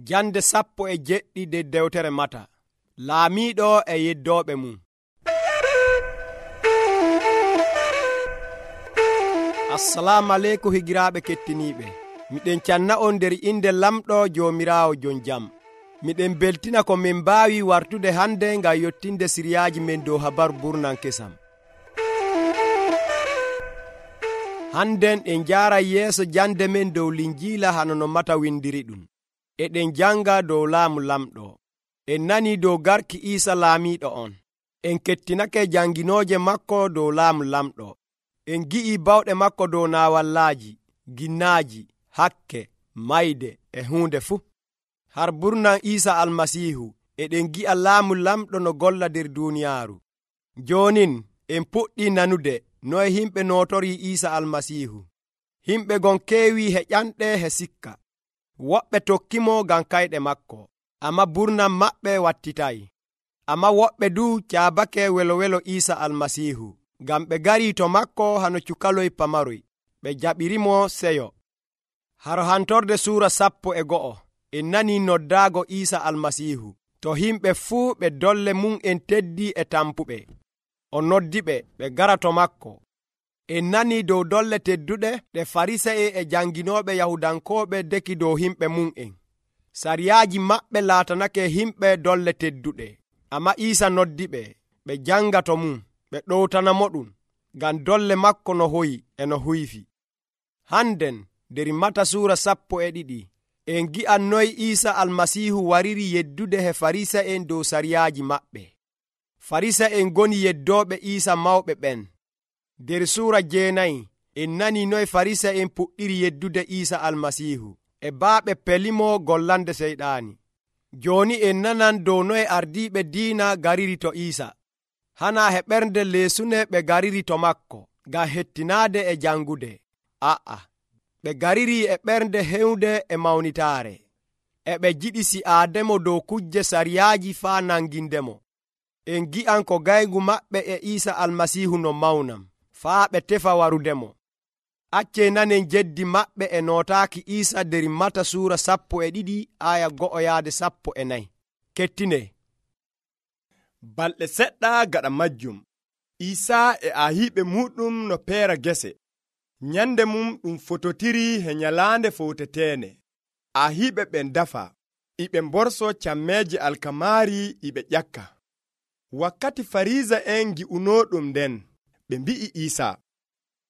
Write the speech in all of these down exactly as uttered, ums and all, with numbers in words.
Jande sappo e jeɗɗi dewtere Mata. Laamiiɗo e yeddooɓe mum. Assalamu aleykum higiraaɓe kettiniiɓe. Miɗen canna on nder inde lamɗo Joomiraawo jon jam. Miɗen beltina ko min mbaawi wartude hande ngam yottinde siriyaaji men dow habaru burnan kesam. Hannden en njaaray yeeso jande men dow Linjiila hano no Mata windiri ɗum. Eɗen janga dow laamu lamɗo. En nani dow garki Iisa laamiiɗo on. En kettinake janginooje makko dow laamu lamɗo. En gi'i bawɗe makko dow naawallaaji, ginnaaji, hakke, mayde e huunde fuu. Har burnan Iisa Almasiihu eɗen gi'a laamu lamɗo no golla nder duuniyaaru. Joonin en puɗɗii nanude noye himɓe nootorii Iisa Almasiihu. Himɓe gon keewii heƴanɗe he sikka. Woɓɓe tokkimo ngam kayɗe makko, amma burnan maɓɓe wattitayi. Amma woɓɓe du caabake welo welo Iisa Almasiihu, ngam ɓe garii to makko hano cukaloy pamaroy, ɓe jaɓirimo seyo. Haro hantorde suura sappo e go'o, en nanii noddaago Iisa Almasiihu, to himɓe fuu ɓe dolle mum en teddi e tampuɓe. O noddiɓe ɓe gara to makko. En nanii dow dolle tedduɗe ɗe Farisa'en e janginooɓe Yahudankooɓe deki dow himɓe mum'en. Sariyaaji maɓɓe laatanake himɓe dolle tedduɗe, amma Iisa noddiɓe ɓe janga to mum, ɓe ɗowtanamo ɗum, ngam dolle makko no hoyi e no huyfi. Hannden nder Mata suura sappo e ɗiɗi, en gi'an noy Iisa Almasiihu wariri yeddude he Farisa'en dow sariyaaji maɓɓe. Farisa'en ngoni yeddooɓe Iisa mawɓe ɓen. Nder suura jeenayi en nani noy Farisa'en puɗɗiri yeddude Iisa Almasiihu e baaɓe pelimo gollande seyɗaani. Jooni en nanan dow noye ardiiɓe diina gariri to Iisa. Hanaa he ɓernde leesune ɓe gariri to makko ngam hettinaade e jangude. A'a, ɓe gariri e ɓernde hewnde e mawnitaare. E ɓe jiɗi si'aademo dow kujje sariyaaji faa nangindemo. En gi'an ko gayngu maɓɓe e Iisa Almasiihu no mawnam, faa ɓe tefa warudemo. Accee nanen jeddi maɓɓe e nootaaki Iisa nder Mata suura sappo e ɗiɗi aya go'o yaade sappo e nayi. Kettine. Balɗe seɗɗa gaɗa majjum, Iisaa e ahiiɓe muɗum no peera gese. Nyande mum ɗum fototiri he nyalaande fowteteende. Ahiiɓe ɓen dafa, iɓe mborso cammeeje alkamaari iɓe ƴakka. Wakkati Fariisa'en ngi'unooɗum nden, ɓe mbi'i Iisa,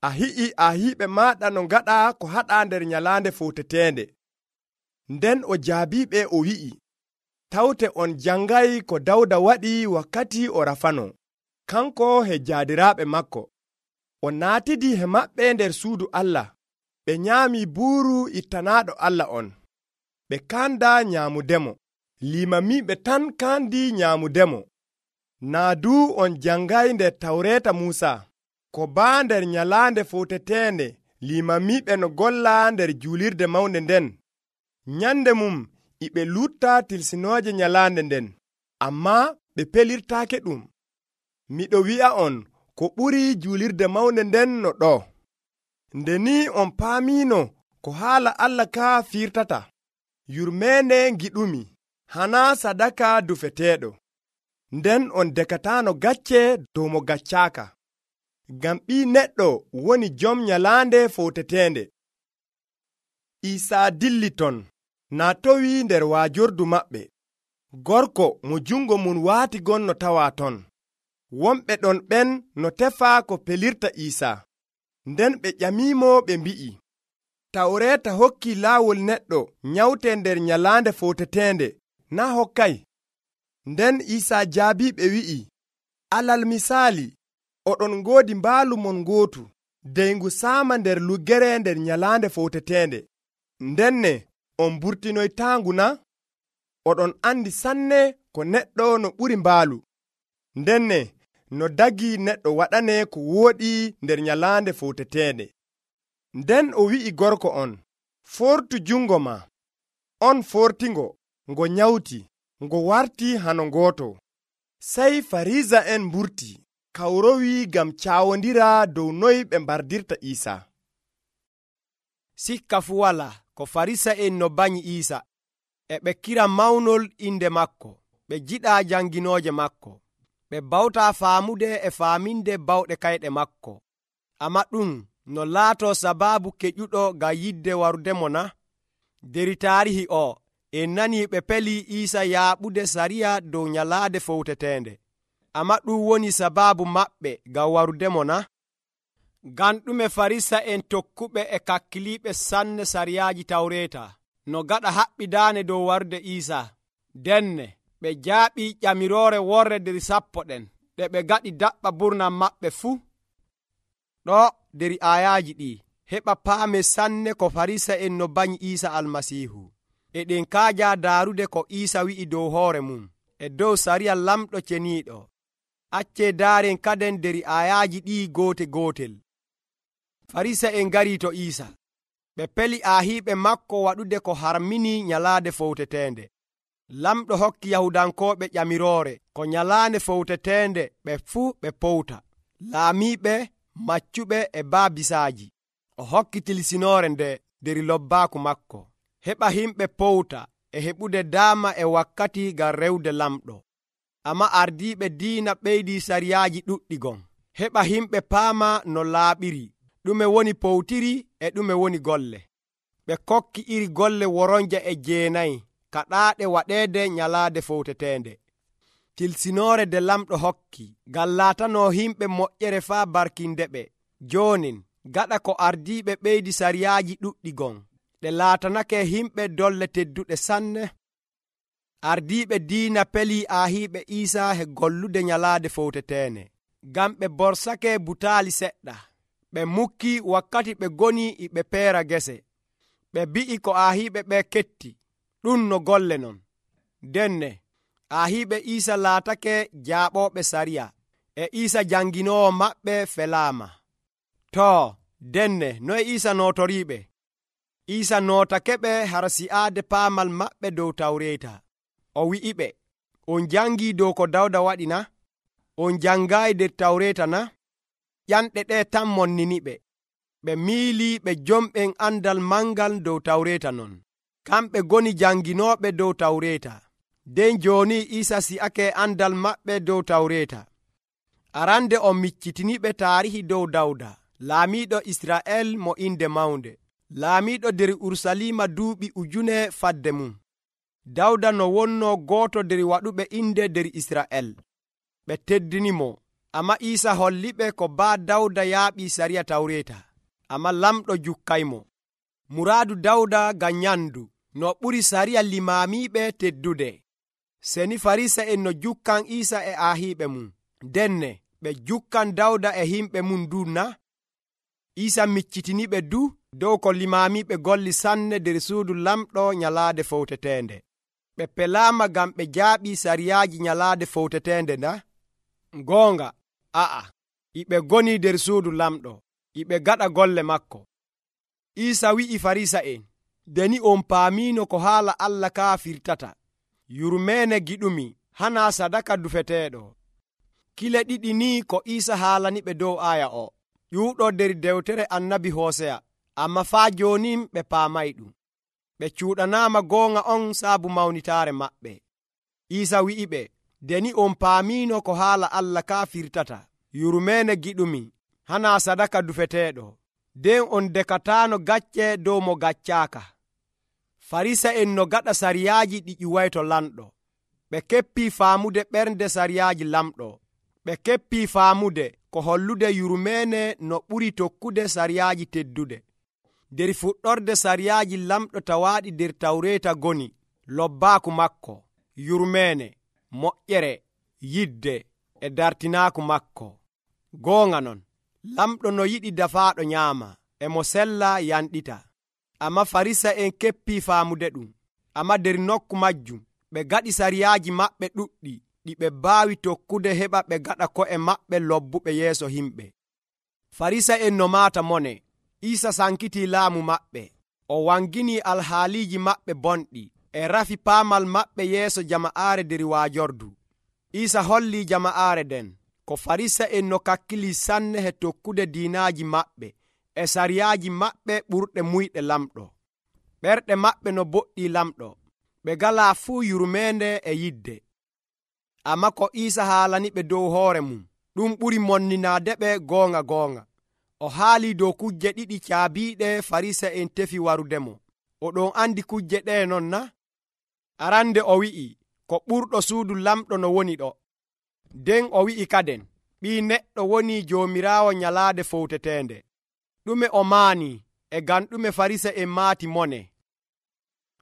a hi'i ahiiɓe maaɗa no ngaɗa ko haɗa nder nyalaande fowteteende. Nden o jaabiɓe o wi'i, tawte on jangay ko Dawda waɗi wakkati o rafano, kanko he jaadiraaɓe makko. O naatidi he maɓɓe nder suudu Allah, ɓe nyaami buuru ittanaaɗo Allah on. Ɓe kanda nyaamudemo, limamiiɓe tan kandi nyaamudemo. Naa du on jangay nder Tawreeta Muusa, ko baa nder nyalaande fowteteende limamiiɓe no golla nder juulirde mawnde nden. Nyande mum iɓe lutta tilsinooje nyalaande nden, amma ɓe pelirtaake ɗum. Miɗo wi'a on ko ɓuri juulirde mawnde nden no ɗo. Nde ni on paamiino ko haala Allah ka firtata. Yurmeende ngiɗumi, hana sadaka dufeteeɗo. Nden on dekataano gacce dow mo gaccaaka. Ngam ɓii neɗɗo woni jom nyalaande fowteteende. Iisaa dilli ton, naatowi nder waajordu maɓɓe. Gorko mo jungo mum waati gon no tawa ton. Wonɓe ɗon ɓen no tefa ko pelirta Iisaa. Nden ɓe ƴamimo ɓe mbi'i, Tawreeta hokki laawol neɗɗo nyawte nder nyalaande fowteteende, naa hokkay? Nden Iisaa jaabiɓe wi'i, alal misaali, oɗon ngoodi mbaalu mon ngootu, deyngu saama nder luggere nder nyalaande fowteteende. Ndenne on mburtinoytaangu na? Oɗon andi sanne ko neɗɗo no ɓuri mbaalu. Ndenne no dagi neɗɗo waɗane ko wooɗi nder nyalaande fowteteende. Nden o wi'i gorko on, fortu jungo ma. On fortingo, ngo nyawti, ngo warti hano ngooto. Sey Farisa'en mburti, kawrowi ngam caawondira dow noy ɓe mbardirta Iisaa. Sikka fu wala ko Farisa'en no banyi Iisa. e ɓe kira mawnol inde makko, ɓe jiɗaa janginooje makko, ɓe bawtaa faamude e faaminde bawɗe kayɗe makko. Amma ɗum no laatoo sabaabu keƴuɗo ngam yidde warudemo na? Der taarihi o en nanii ɓe peli Iisa yaaɓude sariya dow nyalaade fowteteende. Amma ɗum woni sabaabu maɓɓe ngam warudemo na? Ngam ɗume Farisa'en tokkuɓe e kakkiliiɓe sanne sariyaaji Tawreeta no gaɗa haɓɓidaane dow warude Iisa? Denne ɓe jaaɓii ƴamiroore worre der sappo ɗen ɗe ɓe gaɗi daɓɓa burnam maɓɓe fuu. Ɗo der aayaaji ɗi heɓa paame sanne ko Farisa'en no banyi Iisa Almasiihu. E ɗen kaaja daarude ko Iisa wi'i dow hoore mum e dow sariya lamɗo ceniiɗo. Accee daaren kaden der aayaaji ɗi goote gootel. Farisa'en ngarii to Iisa. Ɓe peli aahiiɓe makko waɗude ko harmini nyalaade fowteteende. Lamɗo hokki Yahudankooɓe ƴamiroore ko nyalaande fowteteende ɓe fuu ɓe powta, laamiiɓe, maccuɓe e baabisaaji. O hokki tilsinoore nde der lobbaaku makko, heɓa himɓe powta e heɓude daama e wakkati ngam rewde lamɗo. Amma ardiiɓe diina ɓeydii sariyaaji ɗuɗɗi gon, heɓa himɓe paama no laaɓiri, ɗume woni powtiri e ɗume woni golle. Ɓe kokki iri golle woronje e jeenayi kaɗaaɗe waɗeede nyalaade fowteteende. Tilsinoore de lamɗo hokki ngam laatanoo himɓe moƴƴere faa barkindeɓe. Joonin gaɗa ko ardiiɓe ɓeydi sariyaaji ɗuɗɗi gon, ɗe laatanake himɓe dolle tedduɗe sanne. Ardiiɓe diina pelii aahiiɓe Iisa he gollude nyalaade fowteteende, ngam ɓe borsake butaali seɗɗa. Ɓe mukki wakkati ɓe goni e ɓe peera gese. Ɓe bi'i ko aahiiɓe ɓe ketti, ɗum no golle non. Denne aahiiɓe Iisa laatake jaaɓooɓe sariya, e Iisa janginoowo maɓɓe felaama. Too, denne noye Iisa nootoriiɓe? Iisa nootakeɓe har si'aade paamal maɓɓe dow Tawreeta. O wi'iɓe, on jangii dow ko Dawda waɗi na? On jangaayi der Tawreeta na? Ƴanɗe ɗe tan monniniɓe. Ɓe miilii ɓe jomɓen andal mangal dow Tawreeta non. Kamɓe goni janginooɓe dow Tawreeta. Den jooni Iisa si'ake andal maɓɓe dow Tawreeta. Arande o miccitiniɓe taarihi dow Dawda, laamiiɗo Isra'el mo inde mawnde, laamiiɗo der Urusalima duuɓi ujune fadde mum. Dawda no wonnoo gooto der waɗuɓe inde der Isra'el. Ɓe teddinimo, amma Iisa holliɓe ko baa Dawda yaaɓii sariya Tawreeta, amma lamɗo jukkaymo. Muraadu Dawda ngam nyandu no ɓuri sariya limaamiiɓe teddude. Seni Farisa'en no jukkan Iisa e aahiiɓe mum, denne ɓe jukkan Dawda e himɓe mum du na? Iisa miccitiniɓe du dow ko limaamiiɓe golli sanne der suudu lamɗo nyalaade fowteteende. Ɓe pelaama ngam ɓe jaaɓii sariyaaji nyalaade fowteteende na? Goonga, a'a, iɓe goni der suudu lamɗo, iɓe gaɗa golle makko. Iisa wi'i Farisa'en, deni on paamiino ko haala Allah kaa firtata. Yurmeene giɗumi, hanaa sadaka dufeteeɗo. Kile ɗiɗi ni ko Iisa haalaniɓe dow aaya o, ƴuuɗo der dewtere annabi Hooseya, amma faa joonin ɓe paamay ɗum. Ɓe cuuɗanaama goonga on saabu mawnitaare maɓɓe. Iisa wi'iɓe, deni on paamiino ko haala Allah kaa firtata. Yurmeene giɗumi, hanaa sadaka dufeteeɗo. Den on dekataano gacce dow mo gaccaaka. Farisa'en no gaɗa sariyaaji ɗi ƴuwayto lamɗo. Ɓe keppii faamude ɓernde sariyaaji lamɗo. Ɓe keppii faamude ko hollude yurmeene no ɓuri tokkude sariyaaji teddude. Der fuɗɗorde sariyaaji lamɗo tawaaɗi der Tawreeta goni lobbaaku makko, yurmeene, moƴƴere, yidde e dartinaaku makko. Goonga non, lamɗo no yiɗi dafaaɗo nyaama, e mo sella yanɗita. Amma Farisa'en keppii faamude ɗum. Amma der nokku majjum ɓe gaɗi sariyaaji maɓɓe ɗuɗɗi ɗi ɓe baawi tokkude heɓa ɓe gaɗa ko'e maɓɓe lobbuɓe yeeso himɓe. Farisa'en no maata mone. Iisa sankitii laamu maɓɓe. O wanginii alhaaliiji maɓɓe bonɗi e rafi paamal maɓɓe yeeso jama'aare der waajordu. Iisa hollii jama'aare den ko Farisa'en no kakkilii sanne he tokkude diinaaji maɓɓe e sariyaaji maɓɓe ɓurɗe muyɗe lamɗo. Ɓerɗe maɓɓe no boɗɗii lamɗo. ɓe galaa fuu yurmeende e yidde. Amma ko Iisa haalani ɓe dow hoore mum ɗum ɓuri monninaade ɓe goonga goonga. O haali dow kujje ɗiɗi caabiiɗe Farisa'en tefi warudemo. Oɗon andi kujje ɗe non na? Arande o wi'i ko ɓurɗo suudu lamɗo no woni ɗo. Nden o wi'i kaden Ɓii Neɗɗo woni Joomiraawo nyalaade fowteteende. Ɗume o maani e ngam ɗume Farisa'en maati mone?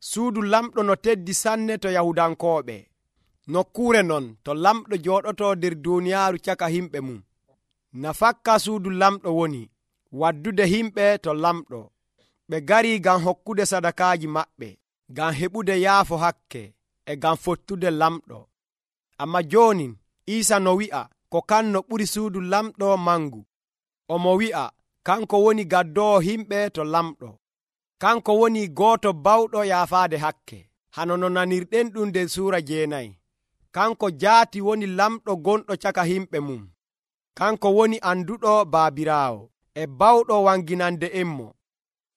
Suudu lamɗo no teddi sanne to Yahudankooɓe. Nokkuure non to lamɗo jooɗoto nder duuniyaaru caka himɓe mum. Nafakka suudu lamɗo woni waddude himɓe to lamɗo. Ɓe garii ngam hokkude sadakaaji maɓɓe, ngam heɓude yaafo hakke e ngam fottude lamɗo. Amma jooni Iisa no wi'a ko kanno ɓuri suudu lamɗo mangu. Omo wi'a kanko woni gaddoowo himɓe to lamɗo. Kanko woni gooto bawɗo yaafaade hakke, hano no nanirɗen ɗum nder suura jeenayi. Kanko jaati woni lamɗo gonɗo caka himɓe mum. Kanko woni anduɗo Baabiraawo e bawɗo wanginande emmo.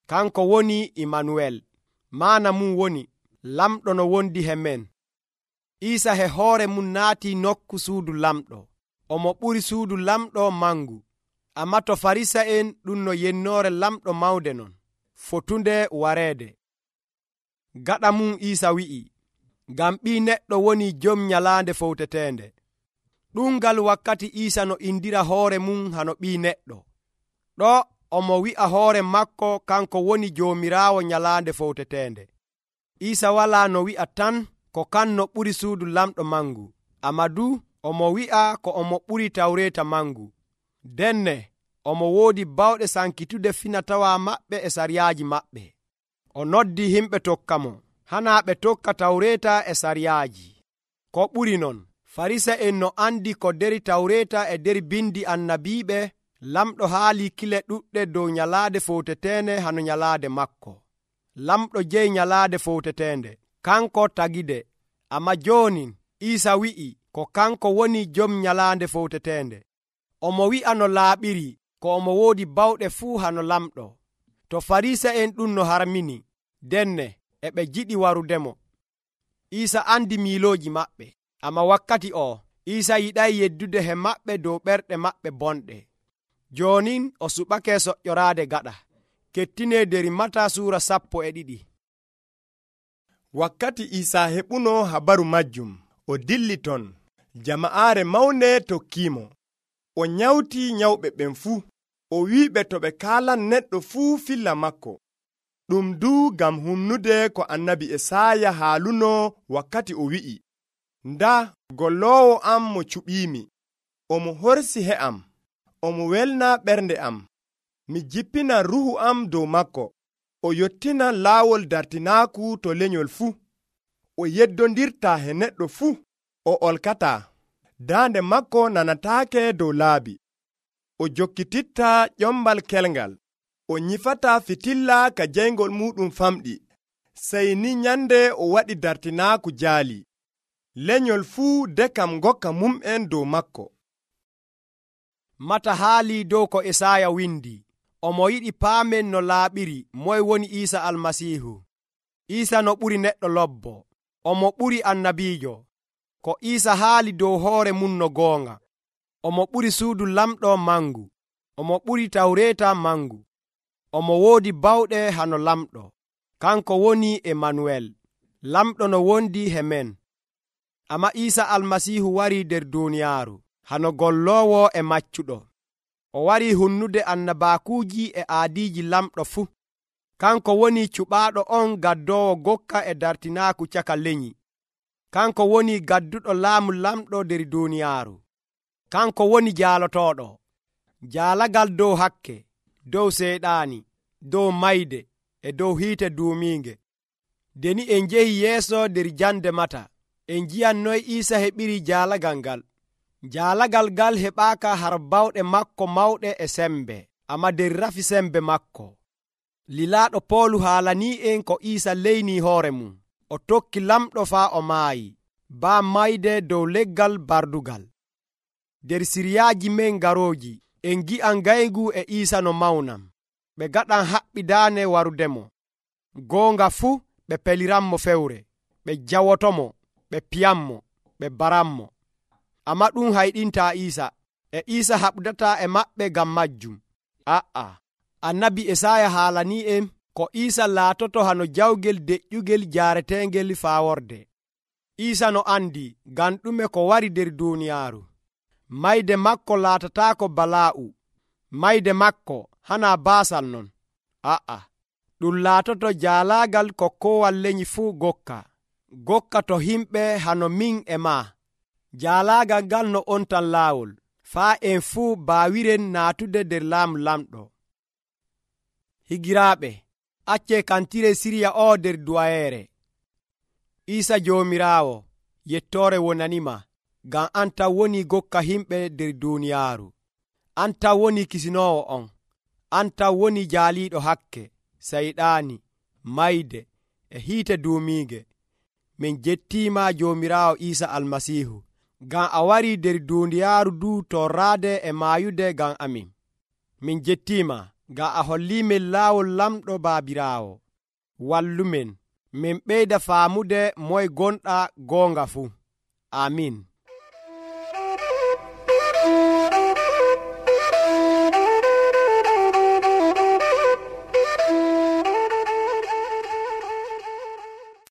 Kanko woni Imanuwel, maana mum woni lamɗo no wondi he men. Iisa he hoore mum naati nokku suudu lamɗo. Omo ɓuri suudu lamɗo mangu. Amma to Farisa'en ɗum no yennoore lamɗo mawde non, fotunde wareede. Gaɗa mum Iisa wi'i, ngam Ɓii Neɗɗo woni jom nyalaande fowteteende. Ɗumngal wakkati Iisa no indira hoore mum hano Ɓii Neɗɗo. Ɗo omo wi'a hoore makko kanko woni Joomiraawo nyalaande fowteteende. Iisa walaa no wi'a tan ko kanno ɓuri suudu lamɗo mangu, amma du omo wi'a ko omo ɓuri Tawreeta mangu. Denne omo woodi bawɗe sankitude finatawa maɓɓe e sariyaaji maɓɓe. O noddi himɓe tokka mo, hanaa ɓe tokka Tawreeta e sariyaaji. Ko ɓuri non, Farisa'en no andi ko deri Tawreeta e der bindi annabiiɓe, lamɗo haali kile ɗuɗɗe dow nyalaade fowteteende hano nyalaade makko. Lamɗo jeyi nyalaade fowteteende, kanko tagide. Amma jooni Iisa wi'i ko kanko woni jom nyalaande fowteteende. Omo wi'a no laaɓiri ko omo woodi bawɗe fuu hano lamɗo. To Farisa'en ɗum no harmini, denne e ɓe jiɗi warudemo. Iisa andi miilooji maɓɓe, amma wakkati o Iisa yiɗay yeddude he maɓɓe dow ɓerɗe maɓɓe bonɗe. Joonin o suɓake soƴƴoraade gaɗa. Kettine der Mata suura sappo e ɗiɗi. Wakkati Iisa heɓuno habaru majjum, o dilli ton. Jama'aare mawnde tokkiimo. O nyawti nyawɓe ɓen fuu. O wi'iɓe to ɓe kaalan neɗɗo fuu filla makko. Ɗum du ngam humnude ko annabi Esaaya haaluno wakkati o wi'i, nda golloowo am mo cuɓiimi, omo horsi he'am, omo welna ɓernde am. Mi jippina ruhu am dow makko. O yottina laawol dartinaaku to lenyol fuu. O yeddondirta he neɗɗo fuu. O olkataa. Daande makko nanataake dow laabi. O jokkititta ƴombal kelngal. O nyifataa fitilla ka jeyngol muɗum famɗi. Sey ni nyande o waɗi dartinaaku jaali. Lenyol fuu dekam ngokka mum'en dow makko. Mata haali dow ko Esaaya windi. Omo yiɗi paamen no laaɓiri moy woni Iisa Almasiihu. Iisa no ɓuri neɗɗo lobbo. Omo ɓuri annabiijo. Ko Iisa haali dow hoore mum no goonga. Omo ɓuri suudu lamɗo mangu. Omo ɓuri Tawreeta mangu. Omo woodi bawɗe hano lamɗo. Kanko woni Imanuwel, lamɗo no wondi he men. Amma Iisa Almasiihu warii nder duuniyaaru hano golloowo e maccuɗo. O warii hunnude annabaakuuji e aadiiji lamɗo fuu. Kanko woni cuɓaaɗo on gaddoowo gokka e dartinaaku caka lenyi. Kanko woni gadduɗo laamu lamɗo nder duuniyaaru. Kanko woni jaalotooɗo. Jaalagal dow hakke, dow seyɗaani, dow mayde e dow hiite duumiinge. Deni en njehi yeeso nder jande Mata, en njiyan noy Iisa heɓiri jaalagal ngal. Jaalagal ngal heɓaaka har bawɗe makko mawɗe e sembe, amma nder rafi sembe makko. Lilaaɗo Poolu haalanii en ko Iisa leynii hoore mum. O tokki lamɗo faa o maayi, baa mayde dow leggal bardugal. Der siriyaaji men garooji, en gi'an gaygu e Iisa no mawnam. Ɓe gaɗan haɓɓidaane warudemo. Goonga fuu ɓe peliranmo fewre. ɓe jawotomo, ɓe piyanmo, ɓe baranmo. Amma ɗum hayɗinta Iisa, e Iisa haɓdata e maɓɓe ngam majjum. A'a, annabi Esaya haalani en ko Iisa laatoto hano jawgel deƴƴugel jaareteengel faaworde. Iisa no andi ngam ɗume ko wari nder duuniyaaru. Mayde makko laatataako balaa'u, mayde makko hana baasal non. A'a, ɗum laatoto jaalaagal ko koowal lenyi fuu gokka. Gokka to himɓe hano min e maa. Jaalaagal ngal no on tan laawol, faa en fuu baawiren naatude nder laamu lamɗo. Higiraaɓe, accee kantire siriya o nder duwayeere. Iisa Joomiraawo, yettoore wonanima, ngam an tan woni gokka himɓe nder duuniyaaru. An tan woni kisinoowo on. An tan woni jaaliiɗo hakke, sayɗaani, mayde, e hiite duumiige. Min jettiima Joomiraawo Iisa Almasiihu, ngam a warii nder duuniyaaru du torraade e maayude ngam amin. Min jettiima ngam a holliimin laawol lamɗo Baabiraawo. Wallumen min ɓeyda faamude moye gonɗa goonga fuu. Amin.